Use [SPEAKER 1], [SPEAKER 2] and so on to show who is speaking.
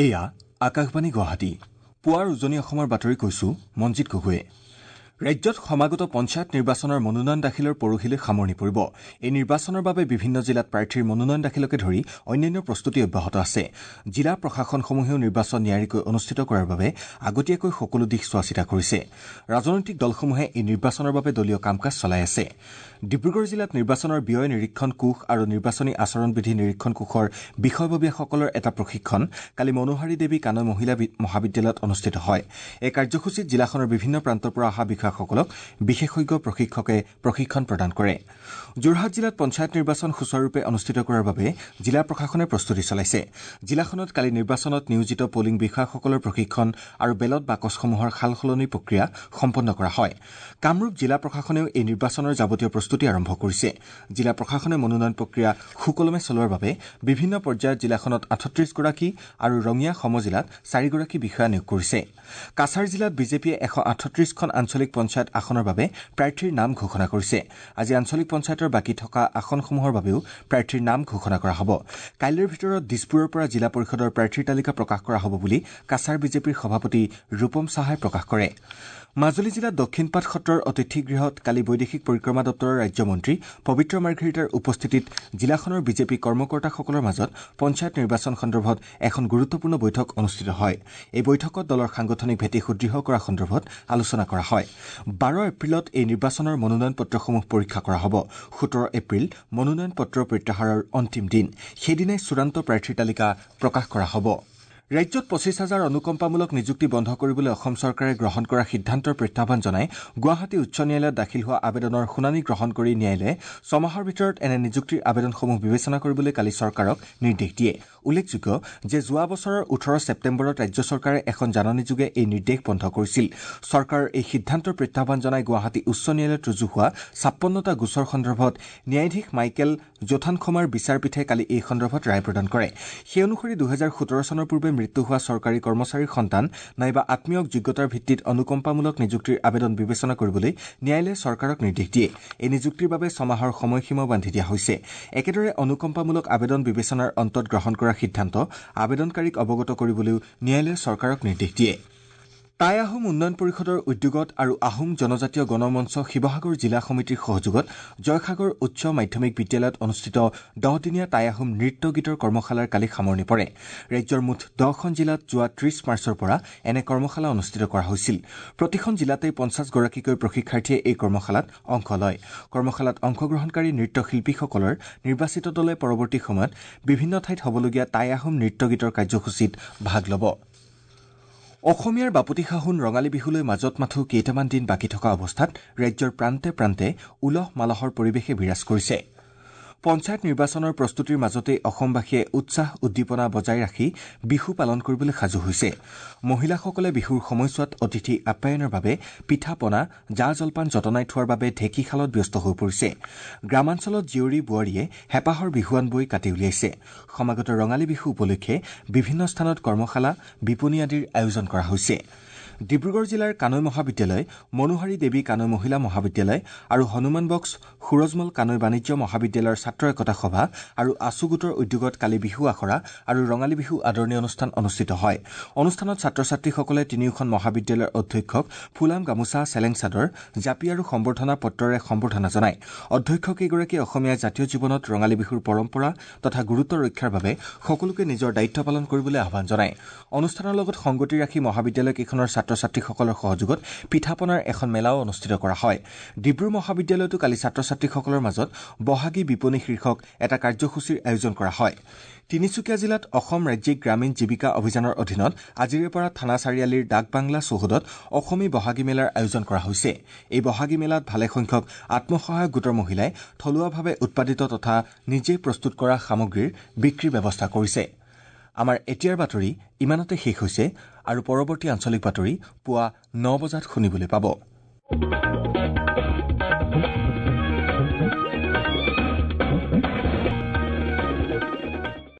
[SPEAKER 1] এয়া আকাশবাণী গুৱাহাটী। পুৱাৰ উজনি অসমৰ বাতৰি কৈছো মঞ্জিত গগৈয়ে। ৰাজ্যত সমাগত পঞ্চায়ত নিৰ্বাচনৰ মনোনয়ন দাখিলৰ পৰহিলৈ সামৰণি পৰিব। এই নিৰ্বাচনৰ বাবে বিভিন্ন জিলাত প্ৰাৰ্থীৰ মনোনয়ন দাখিলকে ধৰি অন্যান্য প্ৰস্তুতি অব্যাহত আছে। জিলা প্ৰশাসনসমূহেও নিৰ্বাচন নিয়াৰিকৈ অনুষ্ঠিত কৰাৰ বাবে আগতীয়াকৈ সকলো দিশ চোৱাচিতা কৰিছে। ৰাজনৈতিক দলসমূহে এই নিৰ্বাচনৰ বাবে দলীয় কাম কাজ চলাই আছে। ডিব্ৰুগড় জিলাত নিৰ্বাচনৰ ব্যয় নিৰীক্ষণ কোষ আৰু নিৰ্বাচনী আচৰণবিধি নিৰীক্ষণ কোষৰ বিষয়ববীয়াসকলৰ এটা প্ৰশিক্ষণ কালি মনোহাৰী দেৱী কানৈ মহিলা মহাবিদ্যালয়ত অনুষ্ঠিত হয়। এই কাৰ্যসূচীত জিলাখনৰ বিভিন্ন প্ৰান্তৰ পৰা অহা বিষয়াসকলক বিশেষজ্ঞ প্ৰশিক্ষকে প্ৰশিক্ষণ প্ৰদান কৰে। যোৰহাট জিলাত পঞ্চায়ত নিৰ্বাচন সুচাৰুৰূপে অনুষ্ঠিত কৰাৰ বাবে জিলা প্ৰশাসনে প্ৰস্তুতি চলাইছে। জিলাখনত কালি নিৰ্বাচনত নিয়োজিত পলিং বিষয়াসকলৰ প্ৰশিক্ষণ আৰু বেলট বাকচসমূহৰ সালসলনি প্ৰক্ৰিয়া সম্পন্ন কৰা হয়। কামৰূপ জিলা প্ৰশাসনেও এই নিৰ্বাচনৰ যাৱতীয় প্ৰস্তুতি আৰম্ভ কৰিছে। জিলা প্ৰশাসনে মনোনয়ন প্ৰক্ৰিয়া সুকলমে চলোৱাৰ বাবে বিভিন্ন পৰ্যায়ত জিলাখনত 38গৰাকী আৰু ৰঙিয়া সমজিলাত 4গৰাকী বিষয়া নিয়োগ কৰিছে। কাছাৰ জিলাত বিজেপিয়ে 138খন আঞ্চলিক পঞ্চায়ত আসনৰ বাবে প্ৰাৰ্থীৰ নাম ঘোষণা কৰিছে। আজি আঞ্চলিক পঞ্চায়তৰ বাকী থকা আসনসমূহৰ বাবেও প্ৰাৰ্থীৰ নাম ঘোষণা কৰা হ'ব। কাইলৈৰ ভিতৰত দিছপুৰৰ পৰা জিলা পৰিষদৰ প্ৰাৰ্থীৰ তালিকা প্ৰকাশ কৰা হ'ব বুলি কাছাৰ বিজেপিৰ সভাপতি ৰূপম সাহাই প্ৰকাশ কৰে। মাজুলী জিলাত দক্ষিণপাট সত্ৰৰ অতিথিগৃহত কালি বৈদেশিক পৰিক্ৰমা দপ্তৰৰ ৰাজ্যমন্ত্ৰী পবিত্ৰ মাৰ্ঘেৰিটাৰ উপস্থিতিত জিলাখনৰ বিজেপি কৰ্মকৰ্তাসকলৰ মাজত পঞ্চায়ত নিৰ্বাচন সন্দৰ্ভত এখন গুৰুত্বপূৰ্ণ বৈঠক অনুষ্ঠিত হয়। এই বৈঠকত দলৰ সাংগঠনিক ভেটি সুদৃঢ় কৰা সন্দৰ্ভত আলোচনা কৰা হয়। 12 এপ্ৰিলত এই নিৰ্বাচনৰ মনোনয়ন পত্ৰসমূহ পৰীক্ষা কৰা হ'ব। 17 এপ্ৰিল মনোনয়ন পত্ৰ প্ৰত্যাহাৰৰ অন্তিম দিন। সেইদিনাই চূড়ান্ত প্ৰাৰ্থীৰ তালিকা প্ৰকাশ কৰা হ'ব। ৰাজ্যত 25 হাজাৰ অনুকম্পামূলক নিযুক্তি বন্ধ কৰিবলৈ অসম চৰকাৰে গ্ৰহণ কৰা সিদ্ধান্তৰ প্ৰত্যাহ্বান জনাই গুৱাহাটী উচ্চ ন্যায়ালয়ত দাখিল হোৱা আবেদনৰ শুনানি গ্ৰহণ কৰি ন্যায়ালয়ে ছমাহৰ ভিতৰত এনে নিযুক্তিৰ আবেদনসমূহ বিবেচনা কৰিবলৈ কালি চৰকাৰক নিৰ্দেশ দিয়ে। উল্লেখযোগ্য যে যোৱা বছৰৰ 18 ছেপ্টেম্বৰত ৰাজ্য চৰকাৰে এখন জাননীযোগে এই নিৰ্দেশ বন্ধ কৰিছিল। চৰকাৰৰ এই সিদ্ধান্তৰ প্ৰত্যাহ্বান জনাই গুৱাহাটী উচ্চ ন্যায়ালয়ত ৰুজু হোৱা 56টা গোচৰ সন্দৰ্ভত ন্যায়াধীশ মাইকেল জোথানখমাৰ বিচাৰপীঠে কালি এই সন্দৰ্ভত ৰায় প্ৰদান কৰে। সেই অনুসৰি 2017 চনৰ পূৰ্বে মৃত্যু হোৱা চৰকাৰী কৰ্মচাৰীৰ সন্তান নাইবা আত্মীয়ক যোগ্যতাৰ ভিত্তিত অনুকম্পামূলক নিযুক্তিৰ আবেদন বিবেচনা কৰিবলৈ ন্যায়ালয়ে চৰকাৰক নিৰ্দেশ দিয়ে। এই নিযুক্তিৰ বাবে ছমাহৰ সময়সীমাও বান্ধি দিয়া হৈছে। একেদৰে অনুকম্পামূলক আবেদন বিবেচনাৰ অন্তত গ্ৰহণ কৰা সিদ্ধান্ত আবেদনকাৰীক অৱগত কৰিবলৈও ন্যায়ালয়ে চৰকাৰক নিৰ্দেশ দিয়ে। টাই আহোম উন্নয়ন পৰিষদৰ উদ্যোগত আৰু আহোম জনজাতীয় গণমঞ্চ শিৱসাগৰ জিলা সমিতিৰ সহযোগত জয়সাগৰ উচ্চ মাধ্যমিক বিদ্যালয়ত অনুষ্ঠিত 10দিনীয়া টাই আহোম নৃত্য গীতৰ কৰ্মশালাৰ কালি সামৰণি পৰে। ৰাজ্যৰ মুঠ 10খন জিলাত যোৱা 30 মাৰ্চৰ পৰা এনে কৰ্মশালা অনুষ্ঠিত কৰা হৈছিল। প্ৰতিখন জিলাতেই 50গৰাকীকৈ প্ৰশিক্ষাৰ্থীয়ে এই কৰ্মশালাত অংশ লয়। কৰ্মশালাত অংশগ্ৰহণকাৰী নৃত্যশিল্পীসকলৰ নিৰ্বাচিত দলে পৰৱৰ্তী সময়ত বিভিন্ন ঠাইত হ'বলগীয়া টাই আহোম নৃত্য গীতৰ কাৰ্যসূচীত ভাগ ল'ব। অসমীয়াৰ বাপতি সাহোন ৰঙালী বিহুলৈ মাজত মাথো কেইটামান দিন বাকী থকা অৱস্থাত ৰাজ্যৰ প্ৰান্তে প্ৰান্তে উলহ মালহৰ পৰিৱেশে বিৰাজ কৰিছে। পঞ্চায়ত নিৰ্বাচনৰ প্ৰস্তুতিৰ মাজতেই অসমবাসীয়ে উৎসাহ উদ্দীপনা বজাই ৰাখি বিহু পালন কৰিবলৈ সাজু হৈছে। মহিলাসকলে বিহুৰ সময়ছোৱাত অতিথি আপ্যায়নৰ বাবে পিঠা পনা, জা জলপান যতনাই থোৱাৰ বাবে ঢেঁকীশালত ব্যস্ত হৈ পৰিছে। গ্ৰামাঞ্চলত জীয়ৰী বোৱাৰীয়ে হেঁপাহৰ বিহুৱান বৈ কাটি উলিয়াইছে। সমাগত ৰঙালী বিহু উপলক্ষে বিভিন্ন স্থানত কৰ্মশালা, বিপণী আদিৰ আয়োজন কৰা হৈছে। ডিব্ৰুগড় জিলাৰ কানৈ মহাবিদ্যালয়, মনোহাৰী দেৱী কানৈ মহিলা মহাবিদ্যালয় আৰু হনুমান বক্স সুৰজমল কানৈ বাণিজ্য মহাবিদ্যালয়ৰ ছাত্ৰ একতা সভা আৰু আছু গোটৰ উদ্যোগত কালি বিহু আখৰা আৰু ৰঙালী বিহু আদৰণি অনুষ্ঠান অনুষ্ঠিত হয়। অনুষ্ঠানত ছাত্ৰ ছাত্ৰীসকলে তিনিওখন মহাবিদ্যালয়ৰ অধ্যক্ষক ফুলাম গামোচা, চেলেং চাদৰ, জাপি আৰু সম্বৰ্ধনা পত্ৰৰে সম্বৰ্ধনা জনায়। অধ্যক্ষকেইগৰাকীয়ে অসমীয়া জাতীয় জীৱনত ৰঙালী বিহুৰ পৰম্পৰা তথা গুৰুত্ব ৰক্ষাৰ বাবে সকলোকে নিজৰ দায়িত্ব পালন কৰিবলৈ আহ্বান জনায়। অনুষ্ঠানৰ লগত সংগতি ৰাখি মহাবিদ্যালয়কেইখনৰ ছাত্ৰ ছাত্ৰীসকলৰ সহযোগত পিঠা পনাৰ এখন মেলাও অনুষ্ঠিত কৰা হয়। ডিব্ৰু মহাবিদ্যালয়তো কালি ছাত্ৰ ছাত্ৰীসকলৰ মাজত বহাগী বিপণী শীৰ্ষক এটা কাৰ্যসূচীৰ আয়োজন কৰা হয়। তিনিচুকীয়া জিলাত অসম ৰাজ্যিক গ্ৰামীণ জীৱিকা অভিযানৰ অধীনত আজিৰে পৰা থানা চাৰিআলিৰ ডাকবাংলা চৌহদত অসমী বহাগী মেলাৰ আয়োজন কৰা হৈছে। এই বহাগী মেলাত ভালেসংখ্যক আত্মসহায়ক গোটৰ মহিলাই থলুৱাভাৱে উৎপাদিত তথা নিজেই প্ৰস্তুত কৰা সামগ্ৰীৰ বিক্ৰীৰ ব্যৱস্থা কৰিছে। আমাৰ এতিয়াৰ বাতৰি ইমানতে শেষ হৈছে আৰু পৰৱৰ্তী আঞ্চলিক বাতৰি পুৱা 9 বজাত শুনিবলৈ পাব।